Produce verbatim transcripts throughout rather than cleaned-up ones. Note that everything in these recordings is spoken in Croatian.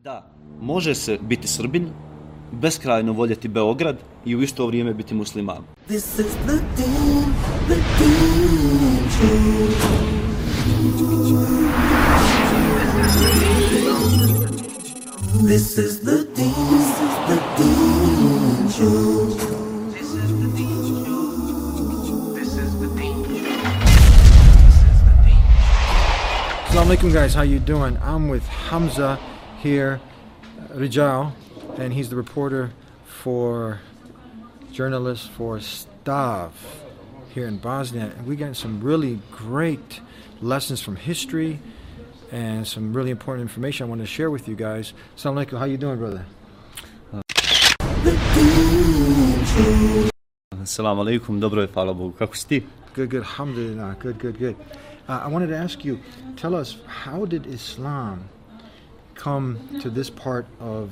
Da, može se biti Srbin, beskrajno voljeti Beograd i u isto vrijeme biti musliman. This is the Deen, the Deen Show. This is the Deen, the Deen Show. This is the Deen Show. This is the Deen Show. Assalamu alaikum guys, how you doing? I'm with Hamza here, Rijal, and he's the reporter for, journalist for Stav here in Bosnia. And we got some really great lessons from history and some really important information I want to share with you guys. Assalamu alaikum, how you doing, brother? Assalamu alaikum, dobro je, hvala Bogu. Kako si ti? Good, good, alhamdulillah, good, good, good. Uh, I wanted to ask you, tell us, how did Islam come to this part of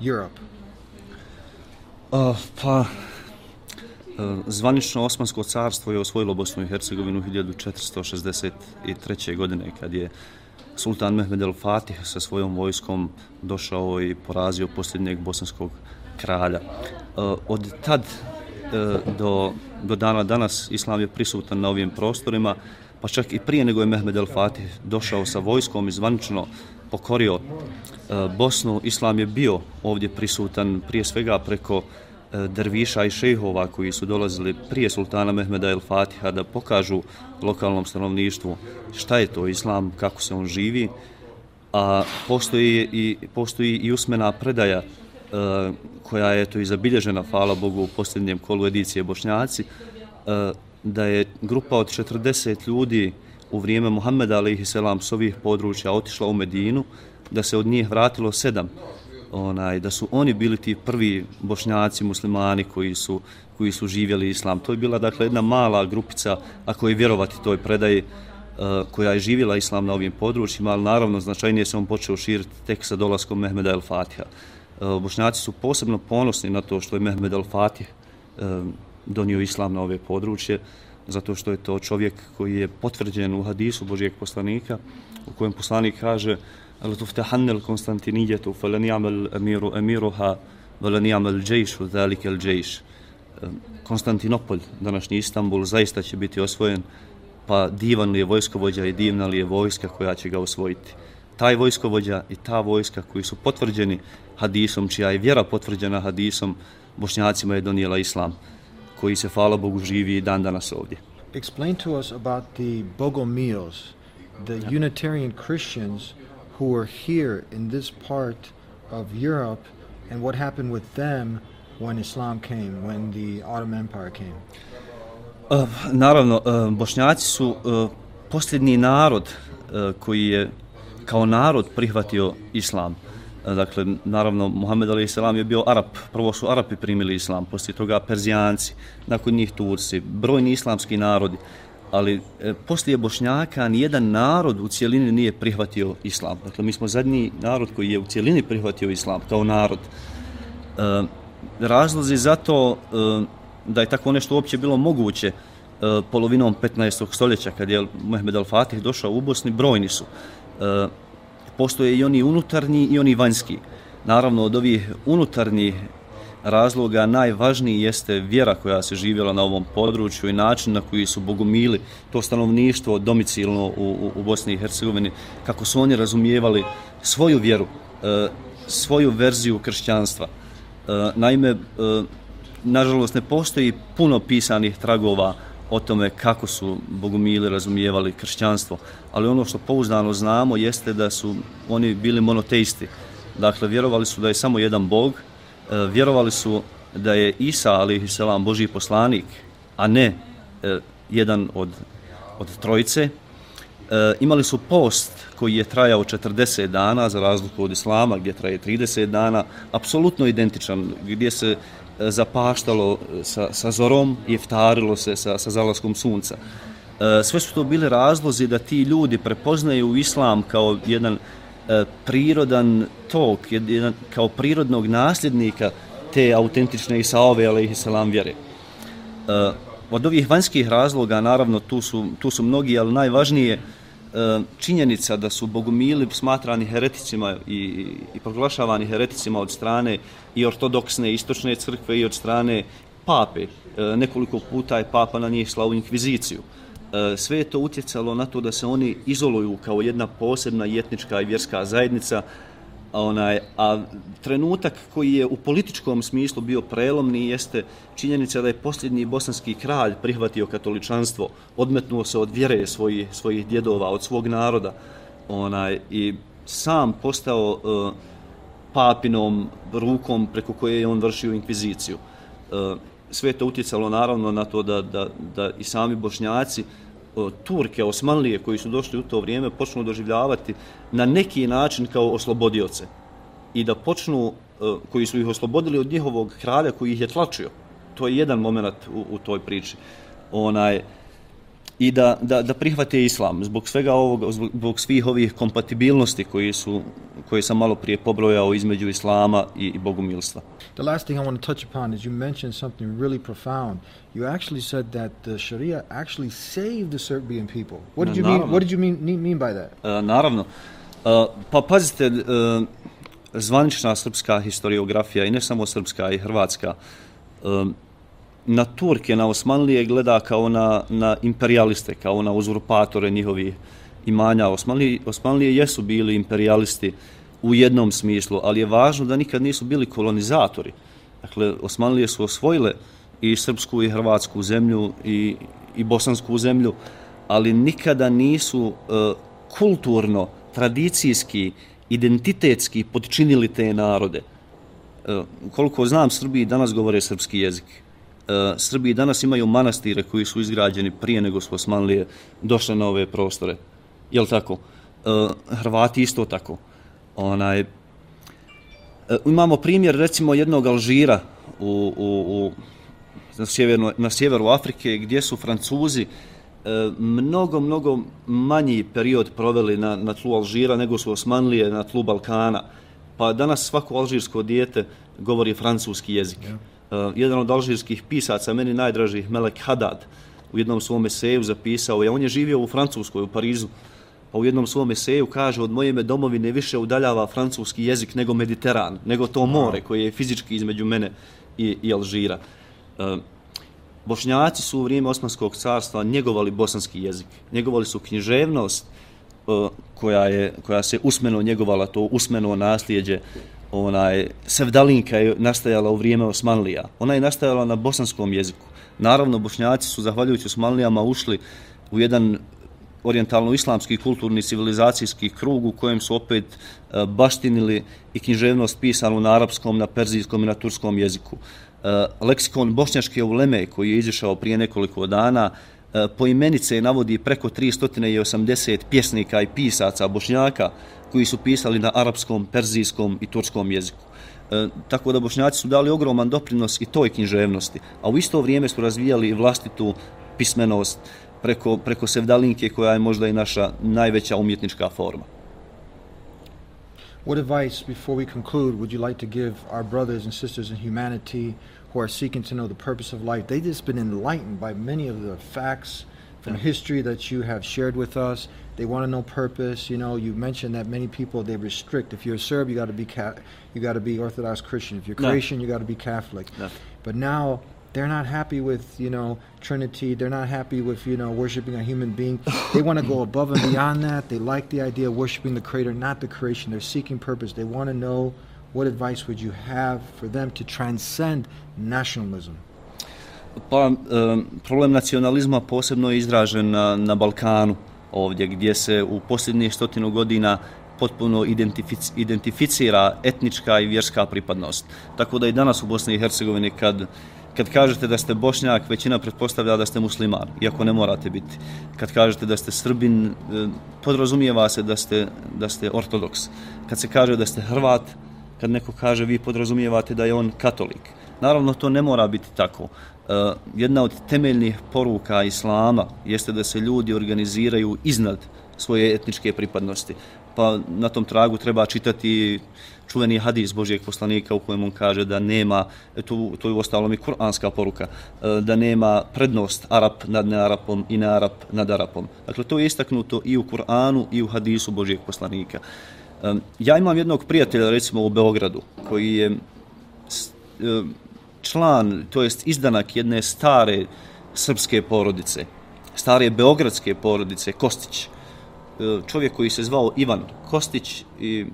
Europe? Uh, pa, uh, zvanično Osmansko carstvo je osvojilo Bosnu i Hercegovinu hiljadu četiristo šezdeset treće. godine kad je sultan Mehmed el Fatih sa svojom vojskom došao i porazio posljednjeg bosanskog kralja. Uh, od tad uh, do, do dana danas Islam je prisutan na ovim prostorima, pa čak i prije nego je Mehmed el Fatih došao sa vojskom i zvanično pokorio uh, Bosnu. Islam je bio ovdje prisutan prije svega preko uh, derviša i šejhova koji su dolazili prije sultana Mehmeda el Fatiha da pokažu lokalnom stanovništvu šta je to Islam, kako se on živi. A postoji i, postoji i usmena predaja uh, koja je to i zabilježena, hvala Bogu, u posljednjem kolu edicije Bošnjaci, uh, da je grupa od četrdeset ljudi u vrijeme Muhammeda alejhi selam s ovih područja otišla u Medinu, da se od njih vratilo sedam, onaj, da su oni bili ti prvi Bošnjaci, muslimani koji su, koji su živjeli Islam. To je bila dakle jedna mala grupica, ako je vjerovati toj predaji, uh, koja je živjela Islam na ovim područjima, ali naravno značajnije se on počeo širiti tek sa dolaskom Mehmeda el Fatiha. Uh, Bošnjaci su posebno ponosni na to što je Mehmed el Fatih uh, donio Islam na ove područje, zato što je to čovjek koji je potvrđen u hadisu Božijeg poslanika, u kojem poslanik kaže: "Al-tuftahanna al-Konstantiniyatu falan ya'mal amiru amiruha wa lan ya'mal jayšu zalika al-jayš." Konstantinopolj, današnji Istanbul, zaista će biti osvojen, pa divan li je vojskovođa i divna li je vojska koja će ga osvojiti. Taj vojskovođa i ta vojska koji su potvrđeni hadisom, čija je vjera potvrđena hadisom, Bošnjacima je donijela Islam, koji se, hvala Bogu, živi i dan danas ovdje. Explain to us about the Bogomils, the Unitarian Christians who were here in this part of Europe, and what happened with them when Islam came, when the Ottoman Empire came. Uh, naravno, uh, Bošnjaci su uh, posljednji narod uh, koji je kao narod prihvatio Islam. Dakle, naravno, Muhammed alejhi selam je bio Arap. Prvo su Arapi primili Islam, poslije toga Perzijanci, nakon njih Turci, brojni islamski narodi. Ali e, poslije Bošnjaka nijedan narod u cijelini nije prihvatio Islam. Dakle, mi smo zadnji narod koji je u cijelini prihvatio Islam kao narod. E, razlozi za to e, da je tako nešto uopće bilo moguće e, polovinom petnaestog stoljeća, kad je Mehmed el Fatih došao u Bosni, brojni su. E, Postoje i oni unutarnji i oni vanjski. Naravno, od ovih unutarnjih razloga najvažniji jeste vjera koja se živjela na ovom području i način na koji su bogomili, to stanovništvo domicilno u, u, u Bosni i Hercegovini, kako su oni razumijevali svoju vjeru, e, svoju verziju kršćanstva. E, naime, e, nažalost, ne postoji puno pisanih tragova o tome kako su bogomili razumijevali kršćanstvo, ali ono što pouzdano znamo jeste da su oni bili monoteisti. Dakle, vjerovali su da je samo jedan Bog, vjerovali su da je Isa alejhi selam Božji poslanik, a ne jedan od, od trojice. Imali su post koji je trajao četrdeset dana, za razliku od Islama gdje traje trideset dana, apsolutno identičan, gdje se zapaštalo sa, sa zorom i iftarilo se sa, sa zalaskom sunca. E, sve su to bili razlozi da ti ljudi prepoznaju Islam kao jedan e, prirodan tok, jedan, kao prirodnog nasljednika te autentične Isaove alejhi selam vjere. E, od ovih vanjskih razloga, naravno, tu su, tu su mnogi, ali najvažnije činjenica da su bogumili smatrani hereticima i, i proglašavani hereticima od strane i ortodoksne istočne crkve i od strane pape. Nekoliko puta je papa na njih slao inkviziciju. Sve je to utjecalo na to da se oni izoluju kao jedna posebna etnička i vjerska zajednica, onaj, a trenutak koji je u političkom smislu bio prelomni jeste činjenica da je posljednji bosanski kralj prihvatio katoličanstvo, odmetnuo se od vjere svojih, svojih djedova, od svog naroda, onaj, i sam postao uh, papinom rukom preko koje je on vršio inkviziciju. Uh, sve je to utjecalo naravno na to da, da, da i sami Bošnjaci Turke, Osmanlije koji su došli u to vrijeme počnu doživljavati na neki način kao oslobodioce i da počnu, koji su ih oslobodili od njihovog kralja koji ih je tlačio. To je jedan moment u, u toj priči. Onaj, i da, da, da prihvate islam zbog svega ovoga, zbog svih ovih kompatibilnosti koji su, koje sam malo prije pobrojao između islama i, i bogumilstva. The last thing I want to touch upon is you mentioned something really profound. You actually said that the Sharia actually saved the Serbian people. What did you naravno. mean? What did you mean mean by that? Uh, naravno. Uh, pa pazite, uh, zvanična srpska historiografija i ne samo srpska i hrvatska uh, na Turke, na Osmanlije gleda kao na, na imperialiste, kao na uzurpatore njihovih imanja. Osmanlije, Osmanlije jesu bili imperialisti u jednom smislu, ali je važno da nikad nisu bili kolonizatori. Dakle, Osmanlije su osvojile i srpsku i hrvatsku zemlju i, i bosansku zemlju, ali nikada nisu uh, kulturno, tradicijski, identitetski potčinili te narode. Uh, koliko znam, Srbiji danas govore srpski jezik. Srbiji danas imaju manastire koji su izgrađeni prije nego su Osmanlije došle na ove prostore. Jel tako? Hrvati isto tako. Onaj, imamo primjer recimo jednog Alžira u, u, u, na, sjeverno, na sjeveru Afrike gdje su Francuzi mnogo, mnogo manji period proveli na, na tlu Alžira nego su Osmanlije na tlu Balkana. Pa danas svako alžirsko dijete govori francuski jezik. Yeah. Uh, jedan od alžirskih pisaca, meni najdražih, Melek Haddad, u jednom svom eseju zapisao je, on je živio u Francuskoj, u Parizu, pa u jednom svom eseju kaže, od moje me domovine više udaljava francuski jezik nego Mediteran, nego to more koje je fizički između mene i, i Alžira. Uh, Bošnjaci su u vrijeme Osmanskog carstva njegovali bosanski jezik, njegovali su književnost uh, koja, je, koja se usmeno njegovala, to usmeno nasljeđe. Onaj, sevdalinka je nastajala u vrijeme Osmanlija. Ona je nastajala na bosanskom jeziku. Naravno, Bošnjaci su, zahvaljujući Osmanlijama, ušli u jedan orijentalno-islamski kulturni civilizacijski krug u kojem su opet uh, baštinili i književnost pisanu na arapskom, na perzijskom i na turskom jeziku. Uh, leksikon bošnjačke uleme koji je izašao prije nekoliko dana uh, poimenice navodi preko tristo osamdeset pjesnika i pisaca Bošnjaka koji su pisali na arapskom, perzijskom i turskom jeziku. E, tako da Bošnjaci su dali ogroman doprinos i toj književnosti, a u isto vrijeme su razvijali i vlastitu pismenost preko, preko sevdalinke koja je možda i naša najveća umjetnička forma. What advice, before we conclude, would you like to give our brothers and sisters in humanity who are seeking to know the purpose of life? They've just been enlightened by many of the facts from history that you have shared with us. They want to know purpose. You know, you mentioned that many people, they restrict. If you're a Serb, you got to be ca- you got to be Orthodox Christian. If you're Croatian, no. you got to be Catholic. No. But now they're not happy with, you know, Trinity. They're not happy with, you know, worshiping a human being. They want to go above and beyond that. They like the idea of worshiping the Creator, not the creation. They're seeking purpose. They want to know, what advice would you have for them to transcend nationalism? Pa, um, problem nacionalizma posebno je izražen na, na Balkanu, ovdje gdje se u posljednjih stotinu godina potpuno identific, identificira etnička i vjerska pripadnost. Tako da i danas u Bosni i Hercegovini kad, kad kažete da ste Bošnjak, većina pretpostavlja da ste musliman, iako ne morate biti. Kad kažete da ste Srbin, podrazumijeva se da ste, da ste ortodoks. Kad se kaže da ste Hrvat, kad neko kaže vi podrazumijevate da je on katolik. Naravno, to ne mora biti tako. Uh, jedna od temeljnih poruka islama jeste da se ljudi organiziraju iznad svoje etničke pripadnosti. Pa na tom tragu treba čitati čuveni hadis Božijeg poslanika u kojem on kaže da nema, to, to je uostalom i kuranska poruka, da nema prednost Arap nad nearapom i nearap nad Arapom. Dakle, to je istaknuto i u Kur'anu i u hadisu Božijeg poslanika. Ja imam jednog prijatelja, recimo u Beogradu, koji je član, to jest izdanak jedne stare srpske porodice, stare beogradske porodice, Kostić. Čovjek koji se zvao Ivan Kostić i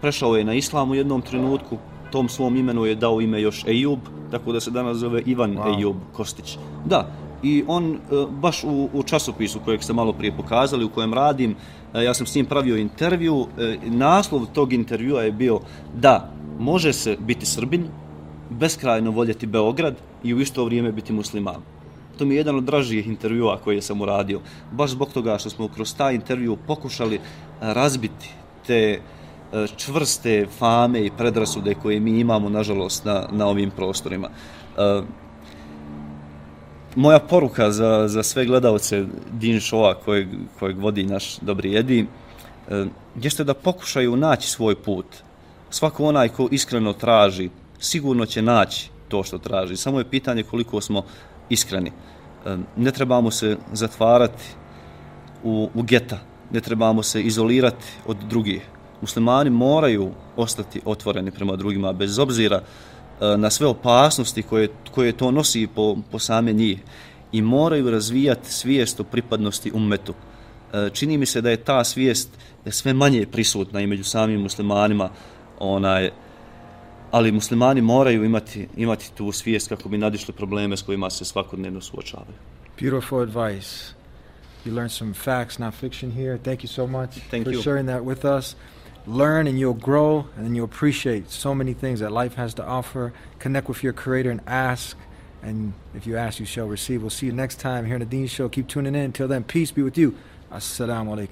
prešao je na islam u jednom trenutku, tom svom imenu je dao ime još Ejub, tako da se danas zove Ivan wow. Ejub Kostić. Da, i on baš u, u časopisu kojeg ste malo prije pokazali, u kojem radim, ja sam s njim pravio intervju, naslov tog intervjua je bio da može se biti Srbin, beskrajno voljeti Beograd i u isto vrijeme biti musliman. To mi je jedan od dražijih intervjua koje sam uradio, baš zbog toga što smo kroz taj intervju pokušali razbiti te čvrste fame i predrasude koje mi imamo, nažalost, na, na ovim prostorima. Uh, moja poruka za, za sve gledalce Din Showa kojeg, kojeg vodi naš Dobri Edi uh, jeste da pokušaju naći svoj put. Svako onaj ko iskreno traži, sigurno će naći to što traži. Samo je pitanje koliko smo iskreni. Uh, ne trebamo se zatvarati u, u geta, ne trebamo se izolirati od drugih. Muslimani moraju ostati otvoreni prema drugima, bez obzira na sve opasnosti koje, koje to nosi po, po same njih, i moraju razvijati svijest o pripadnosti ummetu. Čini mi se da je ta svijest sve manje prisutna i među samim muslimanima, onaj, ali muslimani moraju imati, imati tu svijest kako bi nadišli probleme s kojima se svakodnevno suočavaju. Beautiful advice. You learned some facts, not fiction here. Thank you so much Thank for you. sharing that with us. Learn and you'll grow and you'll appreciate so many things that life has to offer. Connect with your Creator and ask. And if you ask, you shall receive. We'll see you next time here on the Dean Show. Keep tuning in. Until then, peace be with you. Assalamu alaikum.